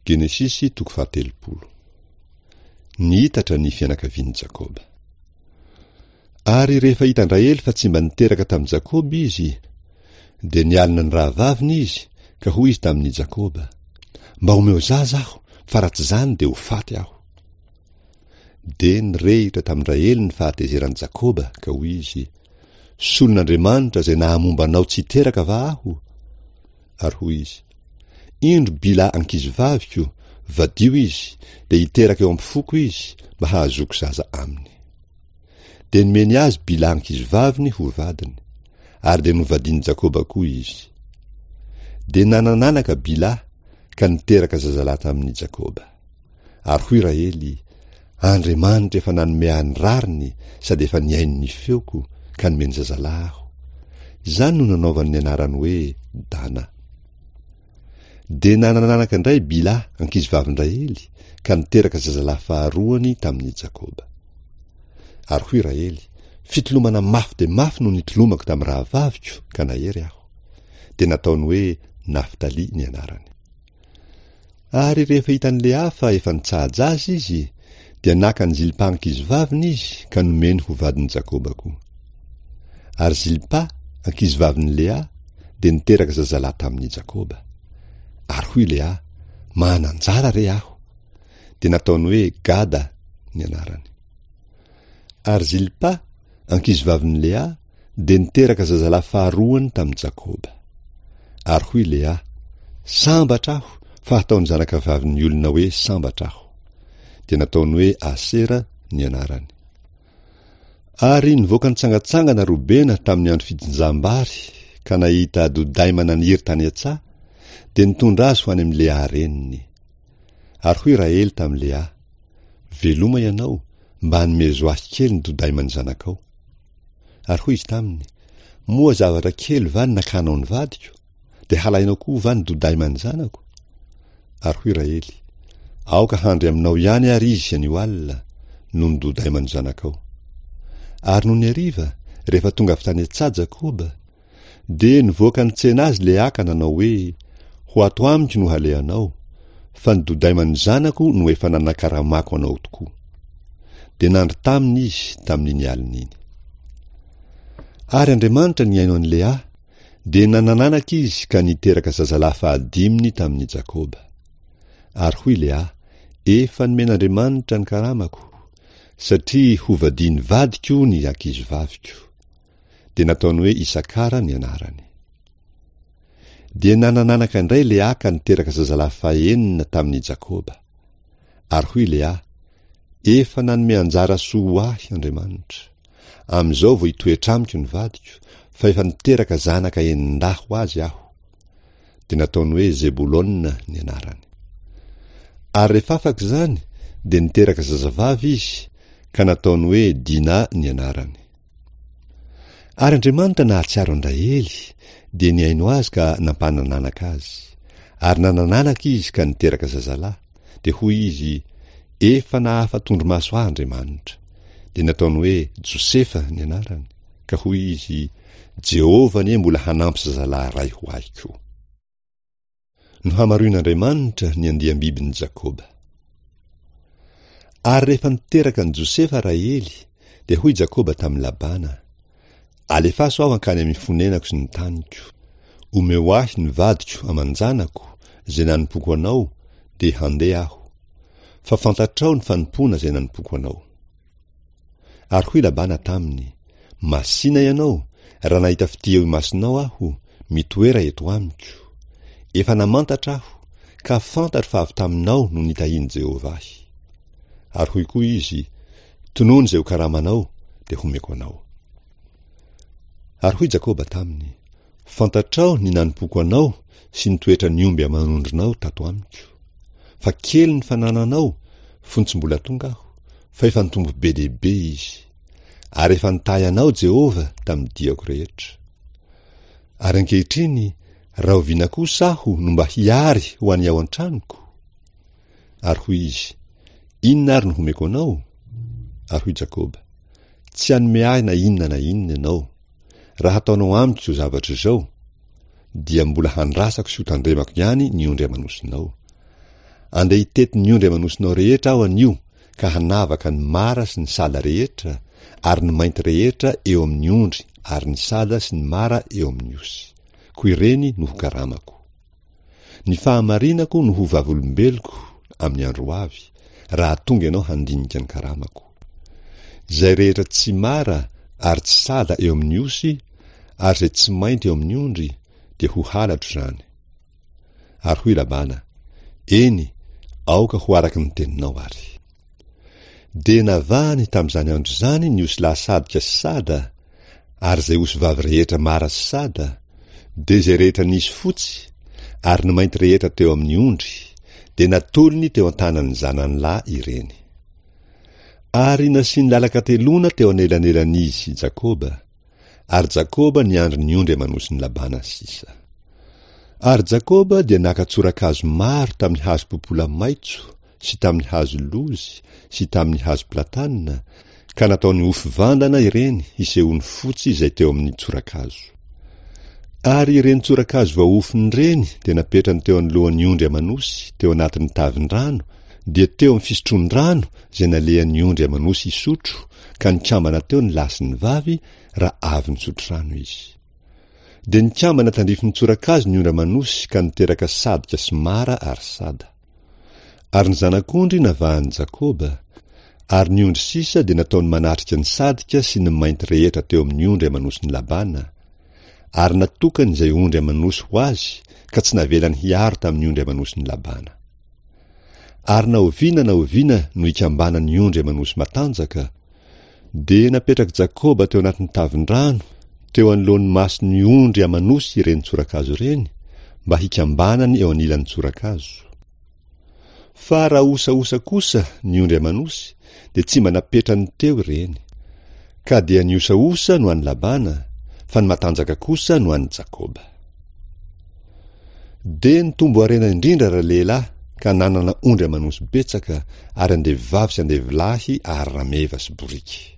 Genesisy toko faha-30. Nihitatra ny fianakavian'i Jakoba. Ary rehefa hitan-dRahely fa tsy mba niteraka tamin'i Jakoba izy, dia nialona ny rahavaviny izy, ka hoy izy tamin'i Jakoba, Mba omeo zaza aho, fa raha tsy izany dia ho faty aho. Dia nirehitra tamin-dRahely ny fahatezeran'i Jakoba, ka hoy izy, Solon'Andriamanitra izay nahamomba anao tsy hiteraka va aho? Ary hoy izy, Indro Bila ankizivaviko, vadio izy, dia hiteraka eo am-pofoko izy, mba hahazoako zaza aminy. Dia nomeny azy Bila ankizivaviny ho vadiny, ary dia novadian'i Jakoba koa izy. Dia nanan'anaka Bila, ka niteraka zazalahy tamin'i Jakoba. Ary hoy Rahely, Andriamanitra efa nanome ahy ny rariny sady efa nihaino ny feoko, ka nomeny zazalahy aho. Izany no nanaovany ny anarany hoe Dana. Dia nanan'anaka indray Bila, ankizivavin-dRahely, ka niteraka zazalahy faharoany tamin'i Jakoba. Ary hoy Rahely, Fitolomana mafy dia mafy no nitolomako tamin'ny rahavaviko, ka nahery aho. Dia nataony hoe Naftaly ny anarany. Ary rehefa hitan'i Lea fa efa nitsaha-jaza izy, dia naka an'i Zilpa ankizivaviny izy ka nomeny ho vadin'i Jakoba koa. Ary Zilpa, ankizivavin'i Lea, dia niteraka zazalahy tamin'i Jakoba. Ary hoy Lea, Manan-jara re aho! Dia nataony hoe Gada ny anarany. Ary Zilpa, ankizivavin'i Lea, dia niteraka zazalahy faharoany tamin'i Jakoba. Ary hoy Lea, Sambatra aho, fa hataon'ny zanakavavin'ny olona hoe sambatra aho. Dia nataony hoe Asera ny anarany. Ary nivoaka nitsangantsangana Robena tamin'ny andro fijinjam-bary ka nahita dodaima naniry tany an-tsaha, dia nitondra azy ho any amin'i Lea reniny. Ary hoy Rahely tamin'i Lea, Veloma ianao, mba anomezo ahy kely ny dodaiman'ny zanakao. Ary hoy izy taminy, Moa zavatra kely va ny nakanao ny vadiko? Dia halainao koa va ny dodaiman'ny zanako? Ary hoy Rahely, Aoka handry aminao ihany àry izy anio alina, noho ny dodaiman'ny zanakao. Ary nony hariva, rehefa tonga avy tany an-tsaha Jakoba, Dia nivoaka nitsena azy Lea ka nanao hoe, Ho ato amiko no halehanao, fa ny dodaiman'ny zanako no efa nanakaramako anao tokoa. Dia nandry taminy izy tamin'iny alina iny. Ary Andriamanitra nihaino an'i Lea, dia nanan'anaka izy ka niteraka zazalahy fahadiminy tamin'i Jakoba. Ary hoy Lea, Efa nomen'Andriamanitra ny karamako, satria hovadian'ny vadiko ny ankizivaviko. dia nataony hoe Isakara ny anarany. Dia nanan'anaka indray Lea ka niteraka zazalahy fahenina tamin'i Jakoba. Ary hoy Lea, Efa nanome anjara soa ho ahy Andriamanitra. Amin'izao vao hitoetra amiko ny vadiko, fa efa niteraka zanaka enin-dahy ho azy aho. Dia nataony hoe Zebolona ny anarany. Ary rehefa afaka izany, dia niteraka zazavavy izy, ka nataony hoe Dina ny anarany. Ary Andriamanitra nahatsiaro an-dRahely, dia nihaino azy ka nampanan'anaka azy. Ary nanan'anaka izy ka niteraka zazalahy. Dia hoy izy, Efa nahafa-tondromaso ahy Andriamanitra. Dia nataony hoe Josefa ny anarany, ka hoy izy, Jehovah anie mbola hanampy zazalahy iray ho ahy koa. Nohamaroin'Andriamanitra ny andiam-bibin'i Jakoba. Ary rehefa niteraka an'i Josefa Rahely, dia hoy Jakoba tamin'i Labana, Alefaso aho hankany amin'ny fonenako sy ny taniko. Omeo ahy ny vadiko aman-janako, izay nanompoako anao, dia handeha aho. Fa fantatrao ny fanompoana izay nanompoako anao. Ary hoy Labana taminy, Masìna ianao, raha nahita fitia eo imasonao aho, mitoera eto amiko. Efa namantatra aho, ka fantatro fa avy taminao no nitahian'i Jehovah ahy. Ary hoy koa izy, Tonony izay ho karamanao, dia homeko anao. Ary hoy Jakoba taminy, Fantatrao ny nanompoako anao sy ny toetran'ny omby aman'ondrinao tato amiko. Fa kely ny fanananao fony tsy mbola tonga aho, fa efa nitombo be dia be izy. Ary efa nitahy anao Jehovah tamin'ny diako rehetra. Ary ankehitriny, rahoviana kosa aho no mba hiary ho an'ny ao an-tranoko? Ary hoy izy, Inona ary no homeko anao? Ary hoy Jakoba, Tsy hanome ahy na inona na inona ianao. Raha hataonao amiko izao zavatra izao, dia mbola handrasako sy hotandremako ihany ny ondry aman'osinao. Andeha hitety ny ondry aman'osinao rehetra aho anio ka hanavaka ny mara sy ny sada rehetra, ary ny mainty rehetra eo amin'ny ondry ary ny sada sy ny mara eo amin'ny osy. Koa ireny no ho karamako. Ny fahamarinako no ho vavolombeloko amin'ny andro ho avy, raha tonga ianao handinika ny karamako. Izay rehetra tsy mara ary tsy sada eo amin'ny osy, ary izay tsy mainty eo amin'ny ondry, dia ho halatro izany. Ary hoy Labana, Eny, aoka ho araka ny teninao àry. Dia navahany tamin'izany andro izany ny osilahy sadika sy sada, ary izay osivavy rehetra mara sy sada, dia izay rehetra nisy fotsy, ary ny mainty rehetra teo amin'ny ondry, dia natolony teo an-tanan'ny zanany lahy ireny. Ary nasiany lalan-kateloana teo anelanelan'izy sy Jakoba, ary Jakoba niandry ny ondry aman'osin'i Labana sisa. Ary Jakoba dia naka tsorakazo maro tamin'ny hazo popola maitso sy tamin'ny hazo lozy sy tamin'ny hazo platana, ka nataony ofy vandana ireny hisehoany fotsy izay teo amin'ny tsorakazo. Ary ireny tsorakazo voaofiny ireny dia napetrany teo anoloan'ny ondry aman'osy teo anatin'ny tavin-drano, dia teo amin'ny fisotroan-drano izay nalehan'ny ondry aman'osy hisotro, ka nikambana teo ny lahy sy ny vavy raha avy nisotro rano izy. Dia nikambana tandrifin'ny tsorakazo ny ondry aman'osy ka niteraka sadika sy mara ary sada. Ary ny zanak'ondry navahan'i Jakoba, ary ny ondry sisa dia nataony manatrika ny sadika sy ny mainty rehetra teo amin'ny ondry aman'osin'i Labana, ary natokany izay ondry aman'osy ho azy ka tsy navelany hiaro tamin'ny ondry aman'osin'i Labana. Ary na oviana na oviana no ikambanan'ny ondry aman'osy matanjaka, dia napetrak'i Jakoba teo anatin'ny tavin-drano, teo anoloan'ny mason'ny ondry aman'osy ireny tsorakazo ireny, mba hikambanany eo anilan'ny tsorakazo. Fa raha osaosa kosa ny ondry aman'osy, dia tsy mba napetrany teo ireny. Ka dia ny osaosa no an'i Labana, fa ny matanjaka kosa no an'i Jakoba. Dia nitombo harena indrindra ralehilahy ka nanana ondry aman'osy betsaka ary andevovavy sy andevolahy ary rameva sy boriky.